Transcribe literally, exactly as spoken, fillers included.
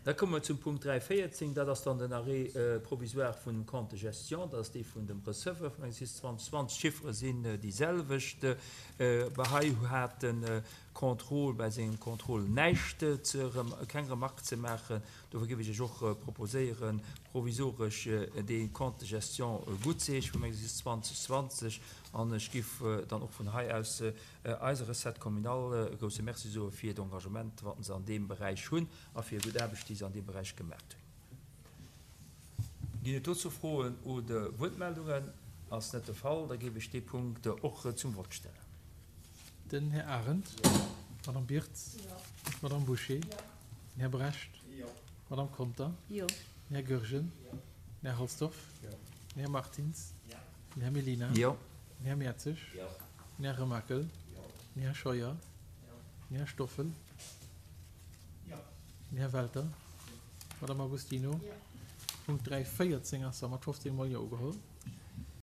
Da komme mer zum Punkt dräi véierzéng, dat ass dann den Arrêt provisoire vun dem Compte de gestion, dat ass dee vun dem Receveur vum Exercice zwanzeg zwanzeg. D'Chiffere sinn déi selwecht. Hei hat de Contrôle bei sengem Contrôle näischt ze, keng Remarque ze maachen. Dofir géif ech Iech och proposéieren, provisoresch dee Compte de gestion guttzeheeschen vum Exercice zwanzeg zwanzeg. An ech géif dann och vun hei aus eiser Recette communale e grousse Merci soe fir d'Engagement, wat se an deem Beräich hunn a fir gutt Aarbecht, déi se an deem Beräich gemaat hunn. Ginn et dozou Froen oder Wuertmeldungen? Ass net de Fall. Da géif ech dee Punkt och zum Vott stellen. Den Här Arendt. D'Madame Birtz. D'Madame Bouché. Den Här Brecht. D'Madame Conter. Den Här Goergen. Den Här Halsdorf. Den Här Martins. Den Här Mellina. Den Här Mertzig. Den Här Remakel. Den Här Scheuer. Den Här Stoffel. Den Här Welter. D'Madame Agostino. Punkt dräi véierzéng ass da mat fofzéng Mol Jo ugeholl.